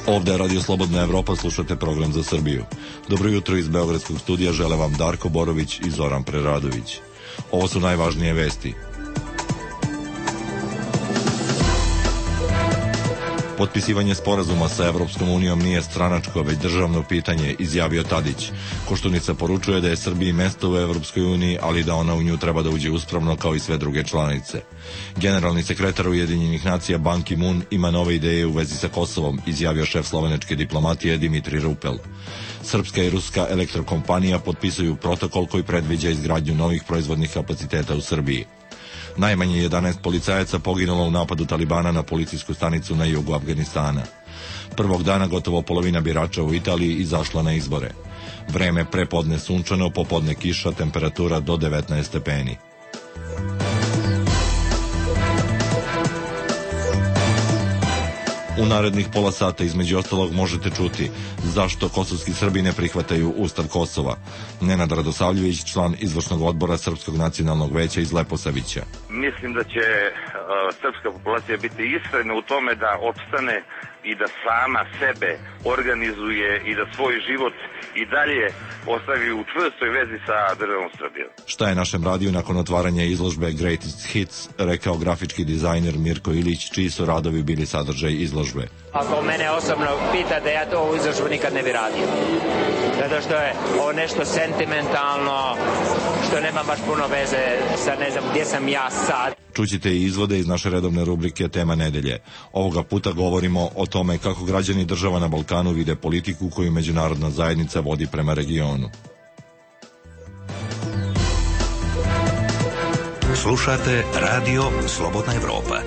Ovde je Radio Slobodna Evropa, slušate program za Srbiju. Dobro jutro iz Beogradskog studija žele vam Darko Borović i Zoran Preradović. Ovo su najvažnije vesti. Potpisivanje sporazuma sa Evropskom unijom nije stranačko, već državno pitanje, izjavio Tadić. Koštunica poručuje da je Srbiji mesto u Evropskoj uniji, ali da ona u nju treba da uđe uspravno kao i sve druge članice. Generalni sekretar Ujedinjenih nacija Ban Ki-moon ima nove ideje u vezi sa Kosovom, izjavio šef slovenačke diplomatije Dimitri Rupel. Srpska i ruska elektrokompanija potpisuju protokol koji predviđa izgradnju novih proizvodnih kapaciteta u Srbiji. Najmanje 11 policajaca poginulo u napadu Talibana na policijsku stanicu na jugu Afganistana. Prvog dana gotovo polovina birača u Italiji izašla na izbore. Vreme prepodne sunčano, popodne kiša, temperatura do 19 stepeni. U narednih pola sata između ostalog možete čuti zašto kosovski Srbi ne prihvataju Ustav Kosova. Nenad Radosavljević, član izvršnog odbora Srpskog nacionalnog veća iz Leposavića. Mislim da će srpska populacija biti iskrena u tome da opstane i da sama sebe organizuje i da svoj život i dalje ostavi u čvrstoj vezi sa državom Srbijom. Šta je našem radiju nakon otvaranja izložbe Greatest Hits rekao grafički dizajner Mirko Ilić, čiji su radovi bili sadržaj izložbe. Ako mene osobno pita da ja to ovu izložbu nikad ne bi radio. Zato što je ovo nešto sentimentalno, što nema baš puno veze sa ne znam gdje sam ja sad. Čućite i izvode iz naše redovne rubrike Tema nedelje. Ovoga puta govorimo o tome kako građani država na Balkanu vide politiku koju međunarodna zajednica vodi prema regionu. Slušate Radio Slobodna Evropa.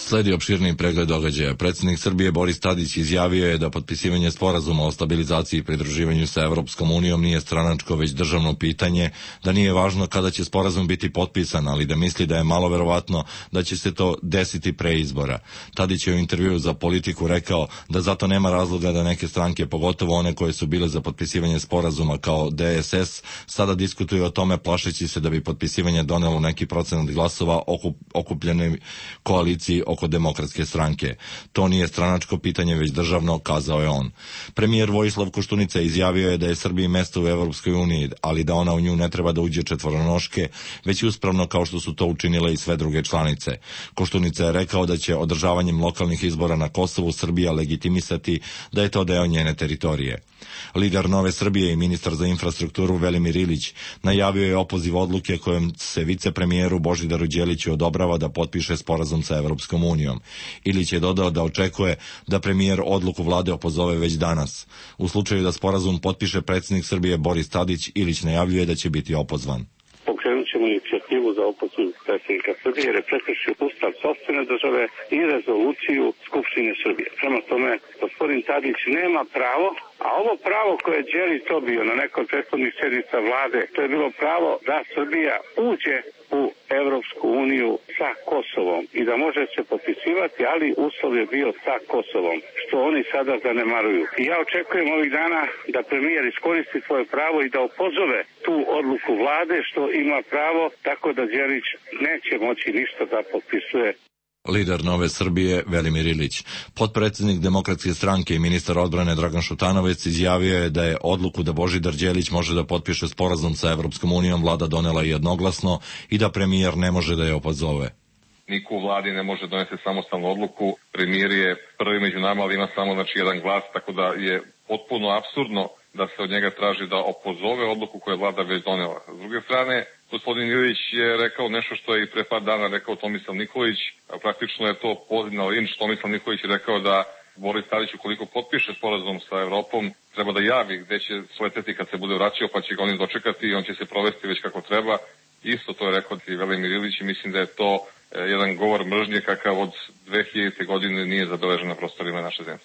Sledi opširni pregled događaja. Predsjednik Srbije Boris Tadić izjavio je da potpisivanje sporazuma o stabilizaciji i pridruživanju sa Evropskom unijom nije stranačko, već državno pitanje, da nije važno kada će sporazum biti potpisan, ali da misli da je malo verovatno da će se to desiti pre izbora. Tadić je u intervjuu za Politiku rekao da zato nema razloga da neke stranke, pogotovo one koje su bile za potpisivanje sporazuma kao DSS, sada diskutuju o tome plašeći se da bi potpisivanje donelo neki procenat glasova okupljenoj koaliciji oko Demokratske stranke. To nije stranačko pitanje, već državno, kazao je on. Premijer Vojislav Koštunica izjavio je da je Srbiji mesto u Evropskoj uniji, ali da ona u nju ne treba da uđe četvoronoške, već uspravno kao što su to učinile i sve druge članice. Koštunica je rekao da će održavanjem lokalnih izbora na Kosovu Srbija legitimisati da je to deo njene teritorije. Lider Nove Srbije i ministar za infrastrukturu Velimir Ilić najavio je opoziv odluke kojom se vicepremijeru Božidaru Đeliću odobrava da potpiše sporazum sa Evropskom unijom. Ilić je dodao da očekuje da premijer odluku vlade opozove već danas. U slučaju da sporazum potpiše predsjednik Srbije Boris Tadić, Ilić najavljuje da će biti opozvan. Pokrenut ćemo inicijativu za opoziv predsjednika Srbije jer je prekršio ustav sopstvene države i rezoluciju Skupštine Srbije. Prema tome, gospodin Tadić nema pravo, a ovo pravo koje je Đelić dobio na nekoj prethodnih sjednica vlade, to je bilo pravo da Srbija uđe u Evropsku uniju sa Kosovom i da može se potpisivati, ali uslov je bio sa Kosovom, što oni sada zanemaruju. I ja očekujem ovih dana da premijer iskoristi svoje pravo i da opozove tu odluku vlade, što ima pravo, tako da Đelić neće moći ništa da potpisuje. Lider Nove Srbije Velimir Ilić. Potpredsjednik Demokratske stranke i ministar odbrane Dragan Šutanovec izjavio je da je odluku da Božidar Đelić može da potpiše sporazum sa Evropskom unijom vlada donela jednoglasno i da premijer ne može da je opozove. Niko u vladi ne može doneti samostalnu odluku. Premijer je prvi među nama, ali ima samo jedan glas, tako da je potpuno apsurdno da se od njega traži da opozove odluku koju je vlada već donela. S druge strane, gospodin Ilić je rekao nešto što je i pre par dana rekao Tomislav Nikolić. Praktično je to poziv na linč. Tomislav Nikolić je rekao da Boris Tadić, ukoliko potpiše sporazum sa Evropom, treba da javi gde će sleteti kad se bude vraćao, pa će ga oni dočekati i on će se provesti već kako treba. Isto to je rekao i Velimir Ilić i mislim da je to jedan govor mržnje kakav od 2000. godine nije zabeležen na prostorima naše zemlje.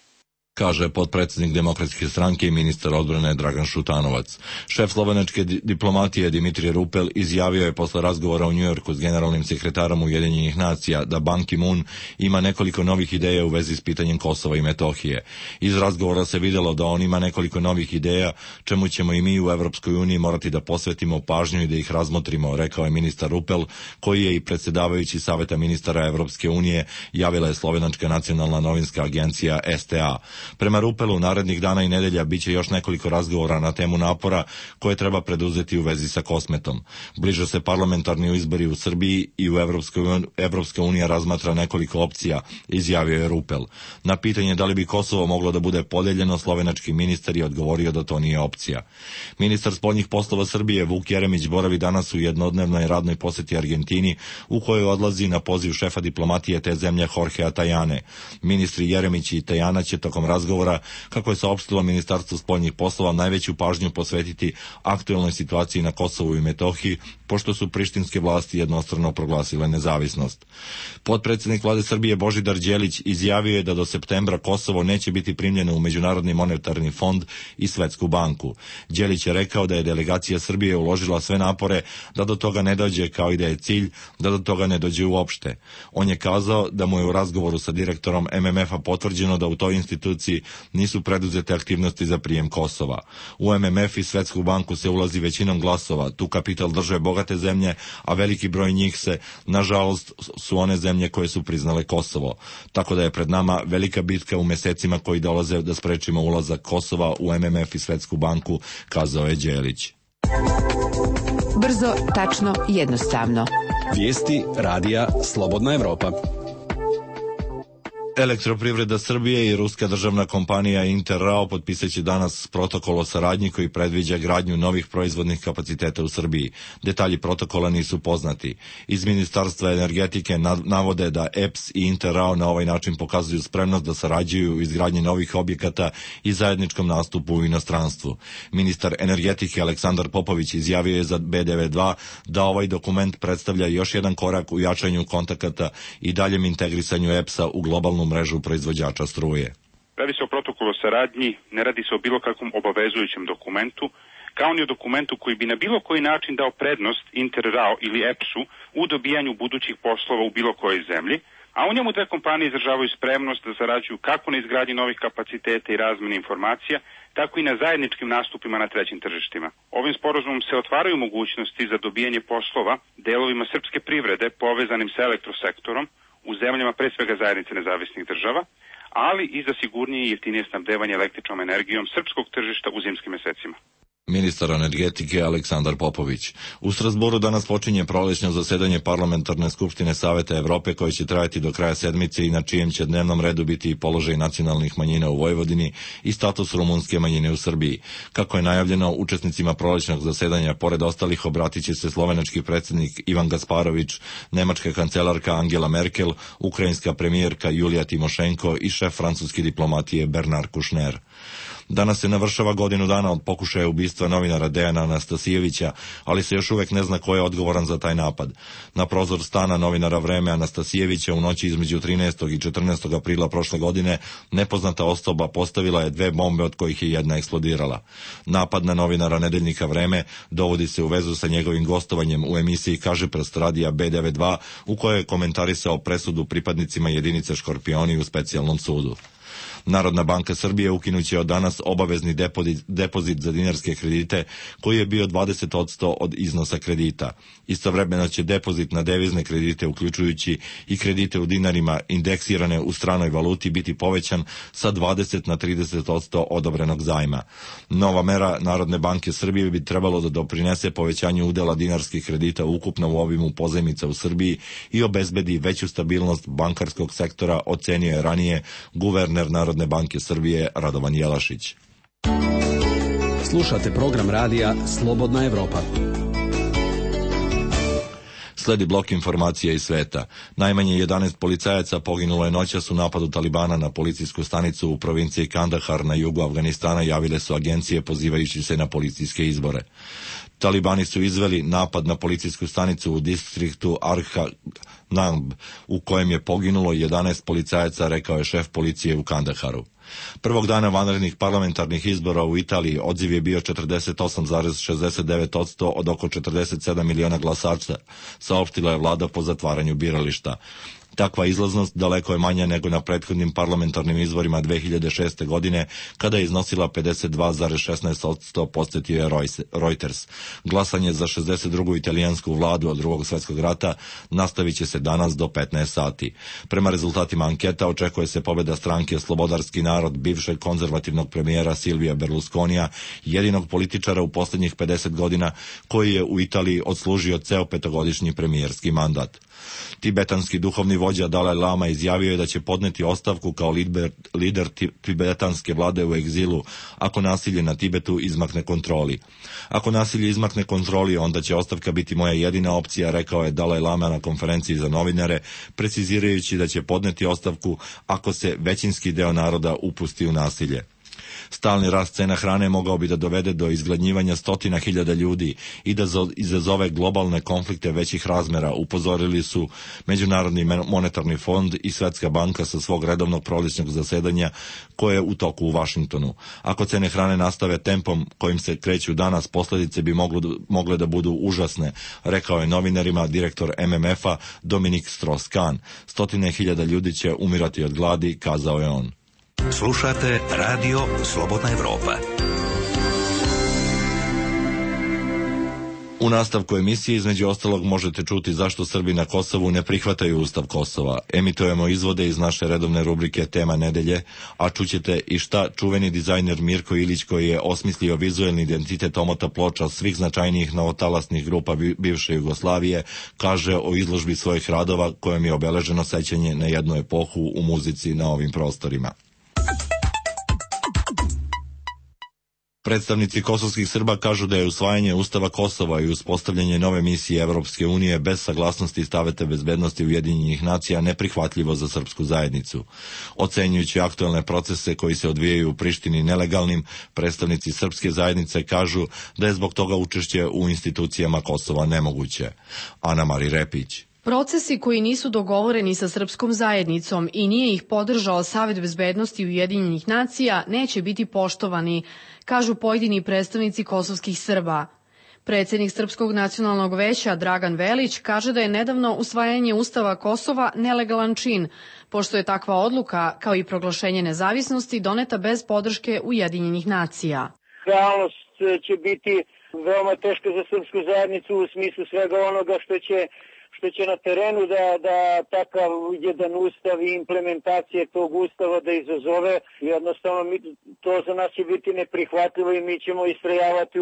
kaže potpredsjednik Demokratske stranke i ministar odbrane Dragan Šutanovac. Šef slovenačke diplomatije Dimitrije Rupel izjavio je posle razgovora u Njujorku s generalnim sekretarom Ujedinjenih nacija da Ban Ki-moon ima nekoliko novih ideja u vezi s pitanjem Kosova i Metohije. Iz razgovora se videlo da on ima nekoliko novih ideja, čemu ćemo i mi u Evropskoj uniji morati da posvetimo pažnju i da ih razmotrimo, rekao je ministar Rupel, koji je i predsjedavajući Saveta ministara Evropske unije, javila je slovenačka nacionalna novinska agencija STA. Prema Rupelu, narednih dana i nedelja biće još nekoliko razgovora na temu napora koje treba preduzeti u vezi sa Kosmetom. Bliže se parlamentarni izbori u Srbiji i u Evropska unija razmatra nekoliko opcija, izjavio je Rupel. Na pitanje da li bi Kosovo moglo da bude podeljeno, slovenački ministar je odgovorio da to nije opcija. Ministar spoljnih poslova Srbije Vuk Jeremić boravi danas u jednodnevnoj radnoj poseti Argentini, u kojoj odlazi na poziv šefa diplomatije te zemlje Jorgea Tajane. Ministri Jeremić i Tajana će tokom razgovora, kako je saopštilo Ministarstvo spoljnih poslova, najveću pažnju posvetiti aktuelnoj situaciji na Kosovu i Metohiji, pošto su prištinske vlasti jednostrano proglasile nezavisnost. Potpredsjednik vlade Srbije Božidar Đelić izjavio je da do septembra Kosovo neće biti primljeno u Međunarodni monetarni fond i Svetsku banku. Đelić je rekao da je delegacija Srbije uložila sve napore da do toga ne dođe, kao i da je cilj da do toga ne dođe uopšte. On je kazao da mu je u razgovoru sa direktorom MMF-a potvrđeno da u toj instituciji nisu preduzete aktivnosti za prijem Kosova. U MMF i Svetsku banku se ulazi većinom glasova, tu kapital drže bogate zemlje, a veliki broj njih se, nažalost, su one zemlje koje su priznale Kosovo. Tako da je pred nama velika bitka u mesecima koji dolaze da sprečimo ulazak Kosova u MMF i Svetsku banku, kazao je Đelić. Brzo, tačno, jednostavno. Vijesti radija Slobodna Evropa. Elektroprivreda Srbije i ruska državna kompanija Interrao potpisaće danas protokol o saradnji koji predviđa gradnju novih proizvodnih kapaciteta u Srbiji. Detalji protokola nisu poznati. Iz Ministarstva energetike navode da EPS i Interrao na ovaj način pokazuju spremnost da sarađuju u izgradnji novih objekata i zajedničkom nastupu u inostranstvu. Ministar energetike Aleksandar Popović izjavio je za B92 da ovaj dokument predstavlja još jedan korak u jačanju kontakata i daljem integrisanju EPS-a u globalnu mrežu proizvođača struje. Radi se o protokolu o saradnji, ne radi se o bilo kakvom obavezujućem dokumentu, kao ni o dokumentu koji bi na bilo koji način dao prednost Interrao ili EPS-u u dobijanju budućih poslova u bilo kojoj zemlji, a u njemu dve kompanije izražavaju spremnost da sarađuju kako na izgradnji novih kapaciteta i razmeni informacija, tako i na zajedničkim nastupima na trećim tržištima. Ovim sporazumom se otvaraju mogućnosti za dobijanje poslova delovima srpske privrede povezanim sa elektrosektorom u zemljama pre svega zajednice nezavisnih država, ali i za sigurnije i jeftinije snabdevanje električnom energijom srpskog tržišta u zimskim mesecima. Ministar energetike Aleksandar Popović. U Strasboru danas počinje prolećno zasedanje Parlamentarne skupštine Saveta Evrope koje će trajati do kraja sedmice i na čijem će dnevnom redu biti i položaj nacionalnih manjina u Vojvodini i status rumunske manjine u Srbiji. Kako je najavljeno, učesnicima prolećnog zasedanja pored ostalih obratit će se slovenački predsjednik Ivan Gasparović, nemačka kancelarka Angela Merkel, ukrajinska premijerka Julija Timošenko i šef francuske diplomatije Bernard Kouchner. Danas se navršava godinu dana od pokušaja ubistva novinara Dejana Anastasijevića, ali se još uvek ne zna ko je odgovoran za taj napad. Na prozor stana novinara Vreme Anastasijevića u noći između 13. i 14. aprila prošle godine nepoznata osoba postavila je 2 bombe od kojih je jedna eksplodirala. Napad na novinara nedeljnika Vreme dovodi se u vezu sa njegovim gostovanjem u emisiji Kažeprst radija B92 u kojoj je komentarisao presudu pripadnicima jedinice Škorpioni u specijalnom sudu. Narodna banka Srbije ukinuće od danas obavezni depozit za dinarske kredite koji je bio 20% od iznosa kredita. Istovremeno će depozit na devizne kredite, uključujući i kredite u dinarima indeksirane u stranoj valuti, biti povećan sa 20 na 30% odobrenog zajma. Nova mera Narodne banke Srbije bi trebalo da doprinese povećanju udela dinarskih kredita ukupno u obimu pozajmica u Srbiji i obezbedi veću stabilnost bankarskog sektora, ocenio je ranije guverner Narodne banke Srbije Radovan Jelašić. Slušate program radija Slobodna Evropa. Sledi blok informacija iz sveta. Najmanje 11 policajaca poginulo je noćas u napadu Talibana na policijsku stanicu u provinciji Kandahar na jugu Afganistana, javile su agencije pozivajući se na policijske izbore. Talibani su izveli napad na policijsku stanicu u distriktu Namb, u kojem je poginulo 11 policajaca, rekao je šef policije u Kandaharu. Prvog dana vanrednih parlamentarnih izbora u Italiji odziv je bio 48,69% od oko 47 miliona glasača, saopštila je vlada po zatvaranju birališta. Takva izlaznost daleko je manja nego na prethodnim parlamentarnim izborima 2006. godine, kada je iznosila 52,16%, podsjetio je Reuters. Glasanje za 62. italijansku vladu od drugog svjetskog rata nastavit će se danas do 15 sati. Prema rezultatima anketa očekuje se pobjeda stranke Slobodarski narod bivšeg konzervativnog premijera Silvija Berlusconija, jedinog političara u posljednjih 50 godina koji je u Italiji odslužio ceo petogodišnji premijerski mandat. Tibetanski duhovni vođa Dalaj Lama izjavio je da će podneti ostavku kao lider tibetanske vlade u egzilu ako nasilje na Tibetu izmakne kontroli. Ako nasilje izmakne kontroli, onda će ostavka biti moja jedina opcija, rekao je Dalaj Lama na konferenciji za novinare, precizirajući da će podneti ostavku ako se većinski deo naroda upusti u nasilje. Stalni rast cena hrane mogao bi da dovede do izgladnjivanja 100.000 ljudi i da izazove globalne konflikte većih razmera, upozorili su Međunarodni monetarni fond i Svetska banka sa svog redovnog prolećnog zasedanja koje je u toku u Vašingtonu. Ako cene hrane nastave tempom kojim se kreću danas, posljedice bi mogle da budu užasne, rekao je novinarima direktor MMF-a Dominik Strauss-Kahn. 100.000 ljudi će umirati od gladi, kazao je on. Slušate Radio Slobodna Evropa. U nastavku emisije između ostalog možete čuti zašto Srbi na Kosovu ne prihvataju Ustav Kosova. Emitujemo izvode iz naše redovne rubrike Tema nedelje, a čućete i šta čuveni dizajner Mirko Ilić, koji je osmislio vizuelni identitet omota ploča svih značajnijih novotalasnih grupa bivše Jugoslavije, kaže o izložbi svojih radova kojom je obeleženo sećanje na jednu epohu u muzici na ovim prostorima. Predstavnici kosovskih Srba kažu da je usvajanje Ustava Kosova i uspostavljanje nove misije Evropske unije bez saglasnosti Saveta bezbednosti Ujedinjenih nacija neprihvatljivo za srpsku zajednicu. Ocenjujući aktuelne procese koji se odvijaju u Prištini nelegalnim, predstavnici srpske zajednice kažu da je zbog toga učešće u institucijama Kosova nemoguće. Ana Mari Repić. Procesi koji nisu dogovoreni sa srpskom zajednicom i nije ih podržao Savet bezbednosti Ujedinjenih nacija neće biti poštovani, kažu pojedini predstavnici kosovskih Srba. Predsjednik Srpskog nacionalnog veća Dragan Velić kaže da je nedavno usvajanje Ustava Kosova nelegalan čin, pošto je takva odluka, kao i proglašenje nezavisnosti, doneta bez podrške Ujedinjenih nacija. Realnost će biti veoma teška za srpsku zajednicu u smislu svega onoga što će na terenu da takav jedan ustav i implementacije tog ustava da izazove. Jednostavno to za nas će biti neprihvatljivo i mi ćemo istrajavati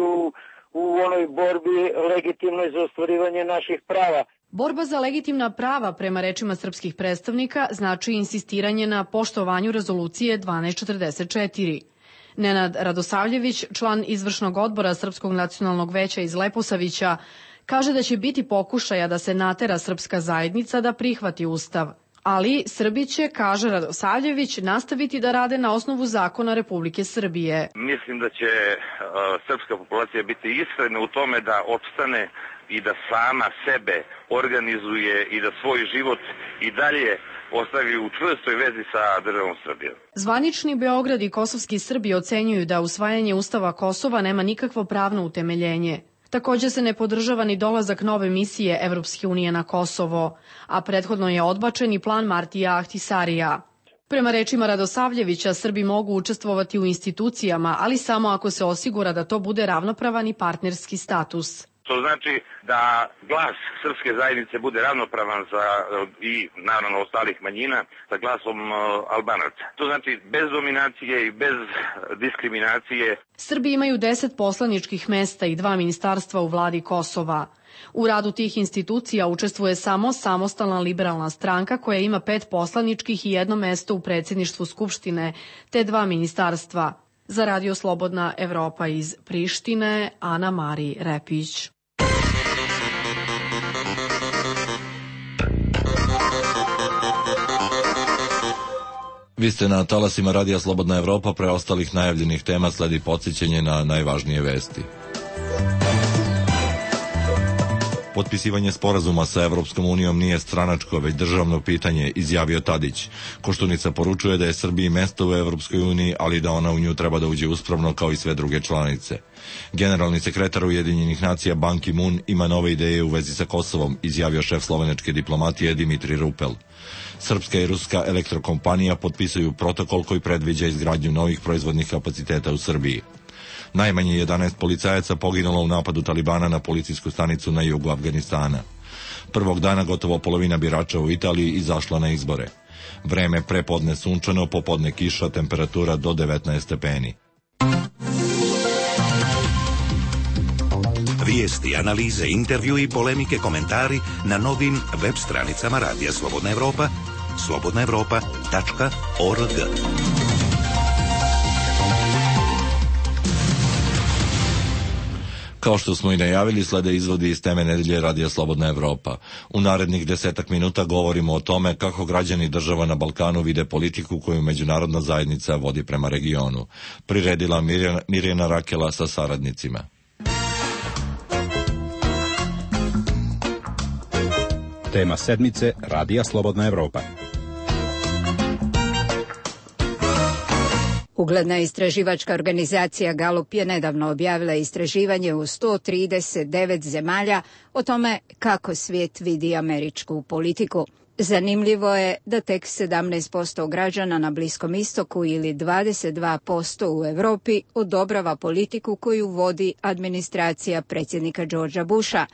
u onoj borbi legitimnoj za ostvarivanje naših prava. Borba za legitimna prava, prema rečima srpskih predstavnika, znači insistiranje na poštovanju rezolucije 1244. Nenad Radosavljević, član izvršnog odbora Srpskog nacionalnog veća iz Leposavića, kaže da će biti pokušaja da se natera srpska zajednica da prihvati Ustav. Ali Srbi će, kaže Radosavljević, nastaviti da rade na osnovu zakona Republike Srbije. Mislim da će srpska populacija biti iskrena u tome da opstane i da sama sebe organizuje i da svoj život i dalje ostavi u čvrstoj vezi sa državom Srbijom. Zvanični Beograd i kosovski Srbi ocenjuju da usvajanje Ustava Kosova nema nikakvo pravno utemeljenje. Također se ne podržava ni dolazak nove misije Evropske unije na Kosovo, a prethodno je odbačen i plan Martija Ahtisarija. Prema rečima Radosavljevića, Srbi mogu učestvovati u institucijama, ali samo ako se osigura da to bude ravnopravan i partnerski status. To znači da glas srpske zajednice bude ravnopravan i naravno ostalih manjina sa glasom Albanaca. To znači bez dominacije i bez diskriminacije. Srbi imaju 10 poslaničkih mesta i 2 ministarstva u vladi Kosova. U radu tih institucija učestvuje samo samostalna liberalna stranka koja ima 5 poslaničkih i 1 mesto u predsjedništvu Skupštine, te 2 ministarstva. Za Radio Slobodna Evropa iz Prištine, Ana Mari Repić. Vi ste na talasima Radija Slobodna Evropa, preostalih najavljenih tema sledi podsjećanje na najvažnije vesti. Potpisivanje sporazuma sa Evropskom unijom nije stranačko, već državno pitanje, izjavio Tadić. Koštunica poručuje da je Srbiji mesto u Evropskoj uniji, ali da ona u nju treba da uđe uspravno kao i sve druge članice. Generalni sekretar Ujedinjenih nacija Ban Ki-moon ima nove ideje u vezi sa Kosovom, izjavio šef slovenačke diplomatije Dimitri Rupel. Srpska i ruska elektrokompanija potpisuju protokol koji predviđa izgradnju novih proizvodnih kapaciteta u Srbiji. Najmanje 11 policajaca poginulo u napadu Talibana na policijsku stanicu na jugu Afganistana. Prvog dana gotovo polovina birača u Italiji izašla na izbore. Vreme prepodne sunčano, popodne kiša, temperatura do 19 stepeni. Vijesti, analize, intervju i polemike, komentari na novim web stranicama Radija Slobodna Evropa, slobodnaevropa.org. Kao što smo i najavili, slede izvodi iz teme nedelje Radija Slobodna Evropa. U narednih 10 minuta govorimo o tome kako građani država na Balkanu vide politiku koju međunarodna zajednica vodi prema regionu. Priredila Mirjana Rakela sa saradnicima. Tema sedmice Radija Slobodna Evropa. Ugledna istraživačka organizacija Galup je nedavno objavila istraživanje u 139 zemalja o tome kako svijet vidi američku politiku. Zanimljivo je da tek 17% građana na Bliskom istoku ili 22% u Europi odobrava politiku koju vodi administracija predsjednika Georgea Busha.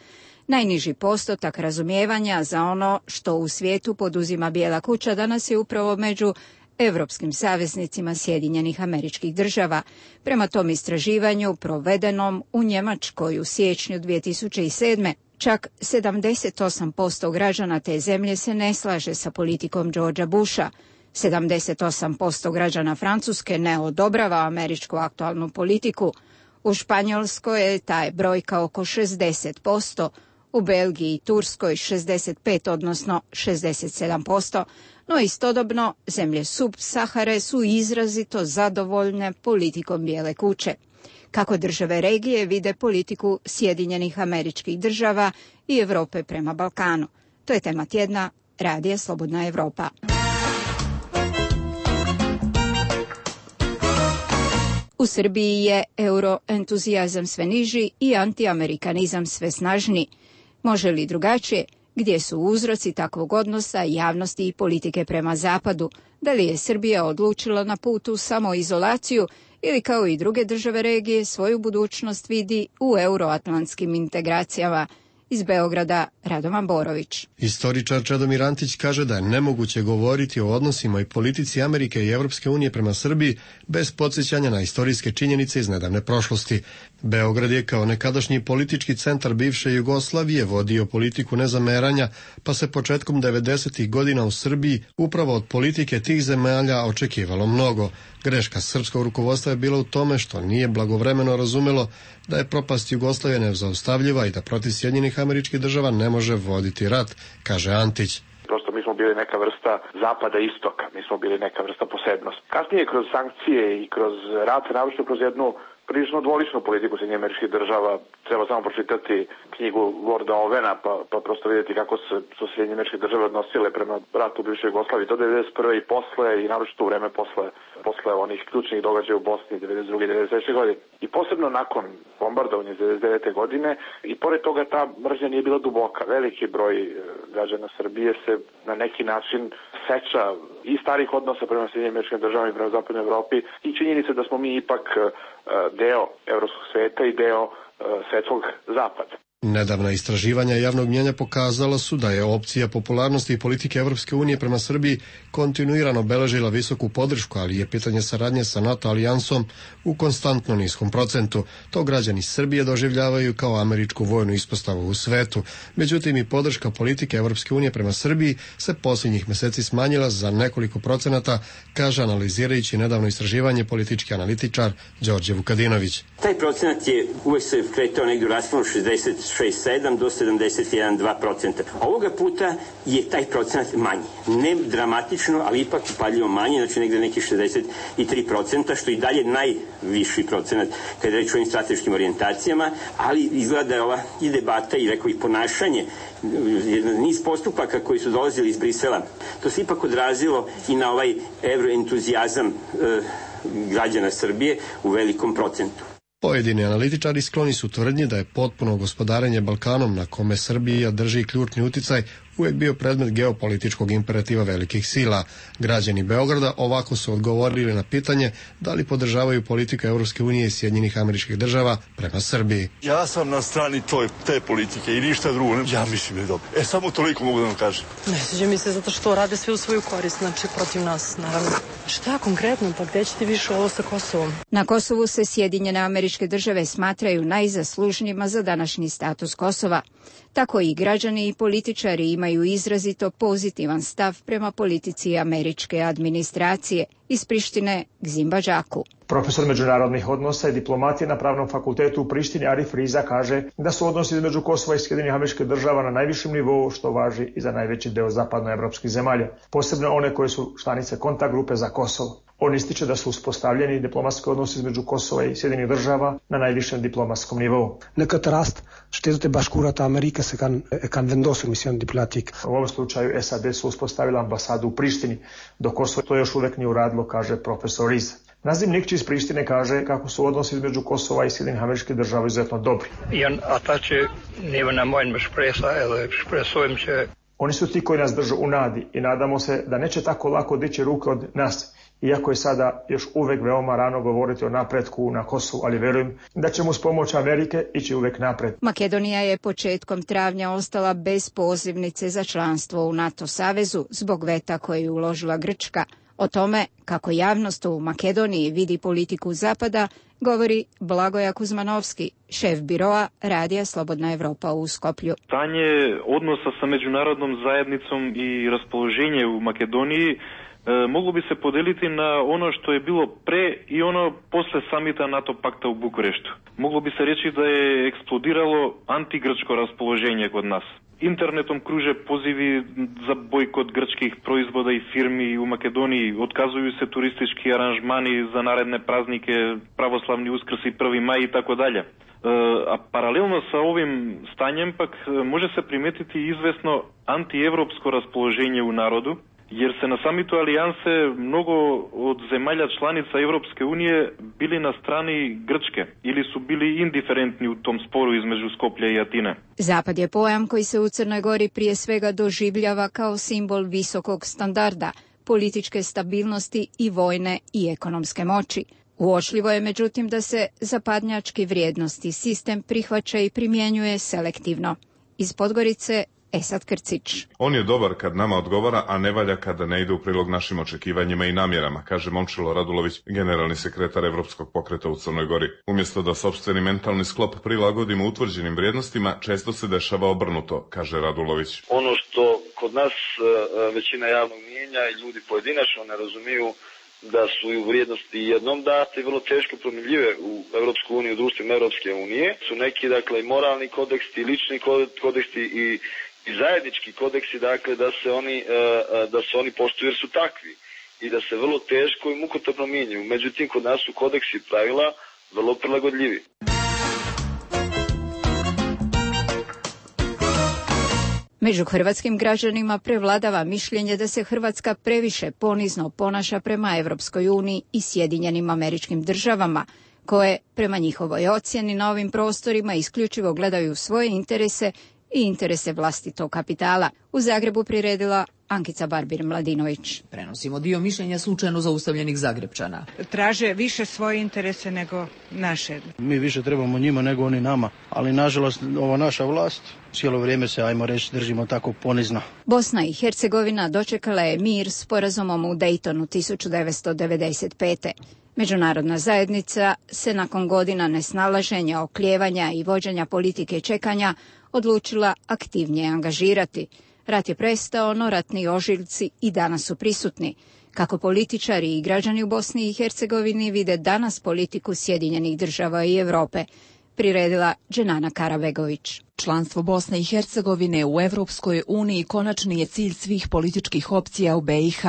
Najniži postotak razumijevanja za ono što u svijetu poduzima Bijela kuća danas je upravo među evropskim saveznicima Sjedinjenih Američkih Država. Prema tom istraživanju provedenom u Njemačkoj u siječnju 2007. čak 78% građana te zemlje se ne slaže sa politikom Georgea Busha. 78% građana Francuske ne odobrava američku aktualnu politiku. U Španjolskoj je ta brojka oko 60%, u Belgiji i Turskoj 65, odnosno 67%, no istodobno zemlje Sub-Sahare su izrazito zadovoljne politikom Bijele kuće. Kako države regije vide politiku Sjedinjenih Američkih Država i Europe prema Balkanu. To je tema tjedna Radija Slobodna Evropa. U Srbiji je euroentuzijazam sve niži i antiamerikanizam sve snažniji. Može li drugačije? Gdje su uzroci takvog odnosa javnosti i politike prema Zapadu? Da li je Srbija odlučila na putu samoizolaciju ili kao i druge države regije svoju budućnost vidi u euroatlantskim integracijama? Iz Beograda Radovan Borović. Istoričar Čedomir Antić kaže da je nemoguće govoriti o odnosima i politici Amerike i Evropske unije prema Srbiji bez podsjećanja na istorijske činjenice iz nedavne prošlosti. Beograd je kao nekadašnji politički centar bivše Jugoslavije vodio politiku nezameranja, pa se početkom 90. godina u Srbiji upravo od politike tih zemalja očekivalo mnogo. Greška srpskog rukovodstva je bila u tome što nije blagovremeno razumelo da je propast Jugoslavije nezaustavljiva i da protiv Sjedinjenih Američkih Država ne može voditi rat, kaže Antić. Prosto mi smo bili neka vrsta zapada istoka, mi smo bili neka vrsta posebnost. Kasnije kroz sankcije i kroz rat, naročito kroz jednu prilično dvoličnu politiku Sjedinjenih Američkih Država, treba samo pročitati knjigu Lorda Ovena pa prosto vidjeti kako su Sjedinjene Američke Države odnosile prema ratu u bivšoj Jugoslaviji do 1991. i posle i naročito u vreme posle onih ključnih događaja u Bosni 1992. i 1993. godine. I posebno nakon bombardovanja 1999. godine i pored toga ta mržnja nije bila duboka. Veliki broj građana Srbije se na neki način seća i starih odnosa prema Sjedinjenim Američkim Državama i prema Zapadnoj Evropi i činjenica da smo mi ipak deo evropskog sveta i deo svetskog zapada. Nedavna istraživanja javnog mnjenja pokazala su da je opcija popularnosti i politike Evropske unije prema Srbiji kontinuirano beležila visoku podršku, ali je pitanje saradnje sa NATO alijansom u konstantno niskom procentu. To građani Srbije doživljavaju kao američku vojnu ispostavu u svetu. Međutim, i podrška politike Evropske unije prema Srbiji se posljednjih meseci smanjila za nekoliko procenata, kaže analizirajući nedavno istraživanje politički analitičar Đorđe Vukadinović. Taj procenat je uvek se kretao negdje u rasponu 60 76,7 do 71,2%. Ovoga puta je taj procenat manji. Ne dramatično, ali ipak upadljivo manji, znači negde nekih 63%, što i dalje najviši procenat kada je reč o ovim strateškim orijentacijama, ali izgleda da je ova i debata i rekao i ponašanje, niz postupaka koji su dolazili iz Brisela, to se ipak odrazilo i na ovaj evroentuzijazam građana Srbije u velikom procentu. Pojedini analitičari skloni su tvrdnji da je potpuno gospodarenje Balkanom, na kome Srbija drži ključni uticaj, uvijek bio predmet geopolitičkog imperativa velikih sila. Građani Beograda ovako su odgovorili na pitanje da li podržavaju politiku Evropske unije i Sjedinjenih Američkih Država prema Srbiji. Ja sam na strani te politike i ništa drugo. Ja mislim da je dobro. Samo toliko mogu da vam kažem. Ne sviđa mi se zato što rade sve u svoju korist, znači protiv nas, naravno. Šta konkretno, pa gde ćete više ovo sa Kosovom? Na Kosovu se Sjedinjene Američke Države smatraju najzaslužnijima za današnji status Kosova. Tako i građani i političari imaju izrazito pozitivan stav prema politici američke administracije. Iz Prištine Gzim Badžaku. Profesor međunarodnih odnosa i diplomatije na Pravnom fakultetu u Prištini Arif Riza kaže da su odnosi između Kosova i Sjedinjenih Američkih Država na najvišem nivou, što važi i za najveći deo zapadnoevropskih zemalja, posebno one koje su članice kontakt grupe za Kosovo. On ističe da su uspostavljeni diplomatski odnosi između Kosova i Sjedinjenih Država na najvišem diplomatskom nivou. U ovom slučaju SAD su uspostavila ambasadu u Prištini, dok Kosovo to još uvek nije uradilo, kaže profesor Riza. Nazim Nikči iz Prištine kaže kako su odnosi između Kosova i Sjedinjenih Američkih Država izuzetno dobri. Oni su ti koji nas držu u nadi i nadamo se da neće tako lako dići ruke od nas, iako je sada još uvek veoma rano govoriti o napretku na Kosovu, ali verujem da ćemo uz pomoć Amerike ići uvek napred. Makedonija je početkom travnja ostala bez pozivnice za članstvo u NATO savezu zbog veta koje je uložila Grčka. O tome kako javnost u Makedoniji vidi politiku Zapada govori Blagoja Kuzmanovski, šef biroa Radija Slobodna Evropa u Skoplju. Stanje odnosa sa međunarodnom zajednicom i raspoloženje u Makedoniji moglo bi se podeliti na ono što je bilo pre i ono posle samita NATO pakta u Bukureštu. Moglo bi se reći da je eksplodiralo antigrčko raspoloženje kod nas. Internetom kruže pozivi za bojkot grčkih proizvoda i firmi u Makedoniji, otkazuju se turistički aranžmani za naredne praznike, pravoslavni Uskrs i 1. maj i tako dalje. A paralelno sa ovim stanjem pak može se primetiti izvesno antievropsko raspoloženje u narodu, jer se na samitu alijanse mnogo od zemalja članica Evropske unije bili na strani Grčke ili su bili indiferentni u tom sporu između Skoplja i Atine. Zapad je pojam koji se u Crnoj Gori prije svega doživljava kao simbol visokog standarda, političke stabilnosti i vojne i ekonomske moći. Uočljivo je međutim da se zapadnjački vrijednosti sistem prihvaća i primjenjuje selektivno. Iz Podgorice Esad Krcić. On je dobar kad nama odgovara, a ne valja kada ne ide u prilog našim očekivanjima i namjerama, kaže Momčilo Radulović, generalni sekretar Evropskog pokreta u Crnoj Gori. Umjesto da sopstveni mentalni sklop prilagodimo utvrđenim vrijednostima, često se dešava obrnuto, kaže Radulović. Ono što kod nas većina javnog mijenja i ljudi pojedinačno ne razumiju da su vrijednosti jednom date vrlo teško promjenjive u Evropsku uniju, u društvima Evropske unije. Su neki, dakle, moralni kodeksi, lični kodeksi i zajednički kodeksi, dakle, da se oni poštuju jer su takvi i da se vrlo teško i mukotrpno mijenjaju. Međutim, kod nas su kodeksi i pravila vrlo prilagodljivi. Među hrvatskim građanima prevladava mišljenje da se Hrvatska previše ponizno ponaša prema Evropskoj uniji i Sjedinjenim Američkim Državama, koje, prema njihovoj ocjeni na ovim prostorima, isključivo gledaju svoje interese i interese vlastitog kapitala. U Zagrebu priredila Ankica Barbir-Mladinović. Prenosimo dio mišljenja slučajno zaustavljenih Zagrebčana. Traže više svoje interese nego naše. Mi više trebamo njima nego oni nama, ali nažalost ova naša vlast cijelo vrijeme se, ajmo reći, držimo tako ponizno. Bosna i Hercegovina dočekala je mir sporazumom u Daytonu 1995. Međunarodna zajednica se nakon godina nesnalaženja, oklijevanja i vođenja politike čekanja odlučila aktivnije angažirati. Rat je prestao, no ratni ožiljci i danas su prisutni. Kako političari i građani u Bosni i Hercegovini vide danas politiku Sjedinjenih Država i Europe, priredila Dženana Karabegović. Članstvo Bosne i Hercegovine u Evropskoj uniji konačni je cilj svih političkih opcija u BiH,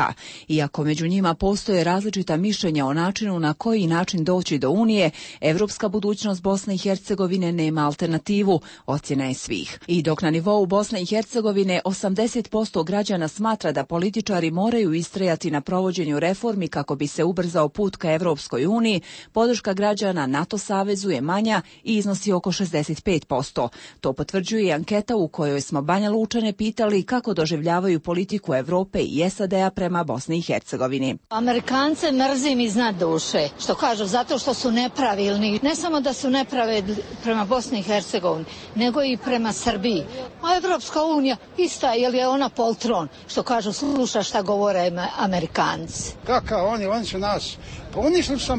iako među njima postoje različita mišljenja o načinu na koji način doći do Unije, evropska budućnost Bosne i Hercegovine nema alternativu, ocjena je svih. I dok na nivou Bosne i Hercegovine 80% građana smatra da političari moraju istrajati na provođenju reformi kako bi se ubrzao put ka Evropskoj uniji, podrška građana NATO savezu je manja i iznosi oko 65%. To potvrđuje i anketa u kojoj smo Banja Lučane pitali kako doživljavaju politiku Evrope i SAD-a prema Bosni i Hercegovini. Amerikance mrzim iznad duše, što kažu, zato što su nepravilni. Ne samo da su nepravedni prema Bosni i Hercegovini, nego i prema Srbiji. A Evropska unija ista, jer je ona poltron, što kažu, sluša šta govore Amerikanci. Kakav oni su nas, pa uništili su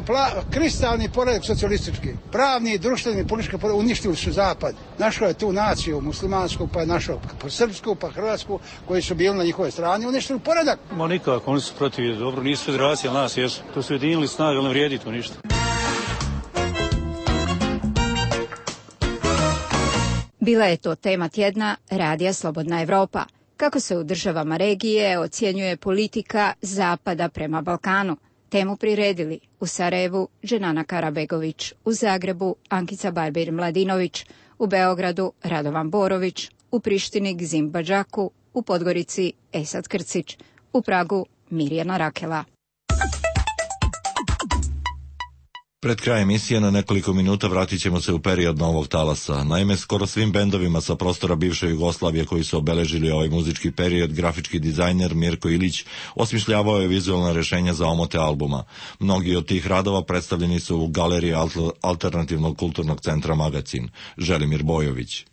kristalni poredak socijalistički, pravni, društveni, politički poredak, uništili su Zapad. Našao je tu naciju muslimansku, pa je našao pa srpsku, pa hrvatsku, koji su bili na njihove strani, uništili poredak. Ma nikako, oni su protiv, dobro, nisu federacija, nas jesu. To su jedinili snage, ali ne vrijedi to ništa. Bila je to tema tjedna Radija Slobodna Evropa. Kako se u državama regije ocjenjuje politika Zapada prema Balkanu? Temu priredili u Sarajevu Dženana Karabegović, u Zagrebu Ankica Barbir-Mladinović, u Beogradu Radovan Borović, u Prištini Gzim Badžaku, u Podgorici Esad Krcić, u Pragu Mirjana Rakela. Pred kraj emisije na nekoliko minuta vratit ćemo se u period novog talasa. Naime, skoro svim bendovima sa prostora bivše Jugoslavije koji su obeležili ovaj muzički period, grafički dizajner Mirko Ilić osmišljavao je vizualna rješenja za omote albuma. Mnogi od tih radova predstavljeni su u galeriji Alternativnog kulturnog centra Magacin. Želimir Bojović.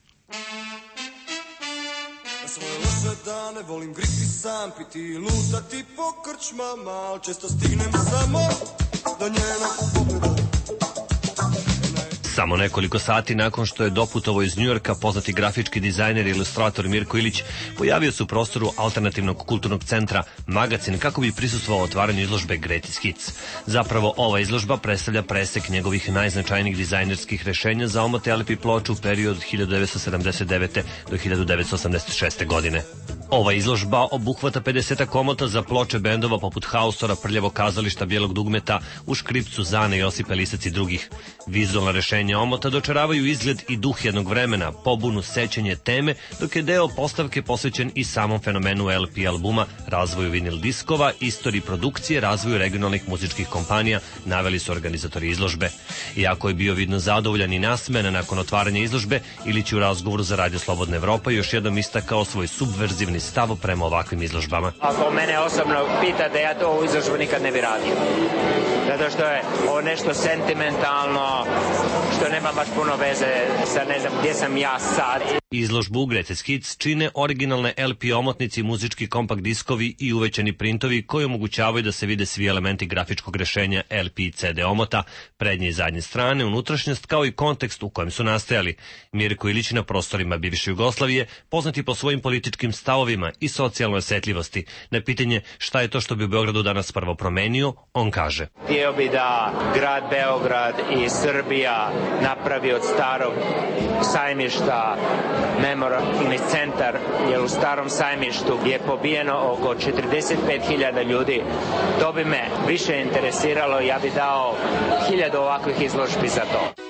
Svoje loše dane volim griti sam, piti, lutati po krčmama, al često stignem samo do njenog pogleda. Samo nekoliko sati nakon što je doputovao iz Njujorka, poznati grafički dizajner i ilustrator Mirko Ilić pojavio se u prostoru Alternativnog kulturnog centra Magacin kako bi prisustvovao otvaranju izložbe Greatest Hits. Zapravo, ova izložba predstavlja presek njegovih najznačajnijih dizajnerskih rešenja za omote LP ploču u periodu od 1979. do 1986. godine. Ova izložba obuhvata 50 komota za ploče bendova poput Haustora, Prljavog kazališta, Bijelog dugmeta, U škripcu, Zane, Josipa Lisac i drugih. Vizualna rešenja omota dočaravaju izgled i duh jednog vremena, pobunu, sećanje, teme, dok je deo postavke posvećen i samom fenomenu LP albuma, razvoju vinil diskova, istoriji produkcije, razvoju regionalnih muzičkih kompanija, naveli su organizatori izložbe. Iako je bio vidno zadovoljan i nasmejan nakon otvaranja izložbe, Ilić u razgovoru za Radio Slobodna Evropa još jednom istakao svoj subverzivni stav prema ovakvim izložbama. Ako mene osobno pitate, ja to u izložbu nikad ne bi radio. Zato što je ovo nešto sentimentalno, što nema baš puno veze sa ne znam gdje sam ja sad. Izložbu Greatest Hits čine originalne LP omotnici, muzički kompakt diskovi i uvećani printovi koji omogućavaju da se vide svi elementi grafičkog rešenja LP i CD omota, prednje i zadnje strane, unutrašnjost kao i kontekst u kojem su nastajali. Mirko Ilić na prostorima bivše Jugoslavije, poznati po svojim političkim stavovima i socijalnoj osetljivosti. Na pitanje šta je to što bi u Beogradu danas prvo promenio, on kaže: Htio bi da grad Beograd i Srbija napravi od starog sajmišta memorialni centar, jer u starom sajmištu je pobijeno oko 45.000 ljudi. To bi me više interesiralo, ja bi dao 1000 ovakvih izložbi za to.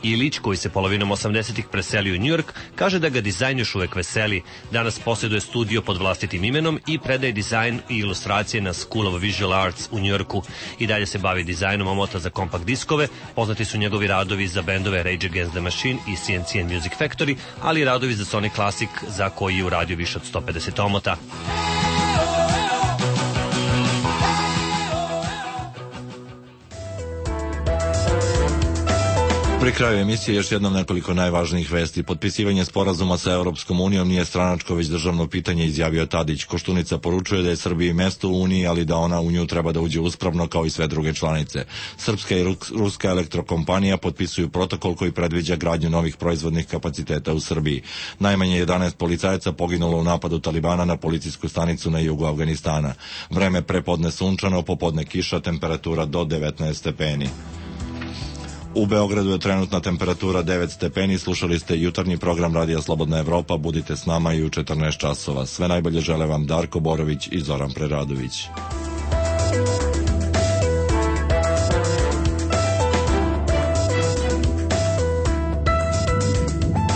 Ilić, koji se polovinom 80-ih preselio u Njujork, kaže da ga dizajn još uvek veseli. Danas posjeduje studio pod vlastitim imenom i predaje dizajn i ilustracije na School of Visual Arts u Njujorku. I dalje se bavi dizajnom omota za kompakt diskove, poznati su njegovi radovi za bendove Rage Against the Machine i CNC and Music Factory, ali i radovi za Sony Classic za koji je uradio više od 150 omota. Pri kraju emisije još jednom nekoliko najvažnijih vesti. Potpisivanje sporazuma sa Europskom unijom nije stranačko, već državno pitanje, izjavio Tadić. Koštunica poručuje da je Srbiji mesto u Uniji, ali da ona u nju treba da uđe uspravno kao i sve druge članice. Srpska i ruska elektrokompanija potpisuju protokol koji predviđa gradnju novih proizvodnih kapaciteta u Srbiji. Najmanje 11 policajaca poginulo u napadu Talibana na policijsku stanicu na jugu Afganistana. Vreme prepodne sunčano, popodne kiša, temperatura do 19 stepeni. U Beogradu je trenutna temperatura 9 stepeni. Slušali ste jutarnji program Radija Slobodna Evropa. Budite s nama i u 14 časova. Sve najbolje žele vam Darko Borović i Zoran Preradović.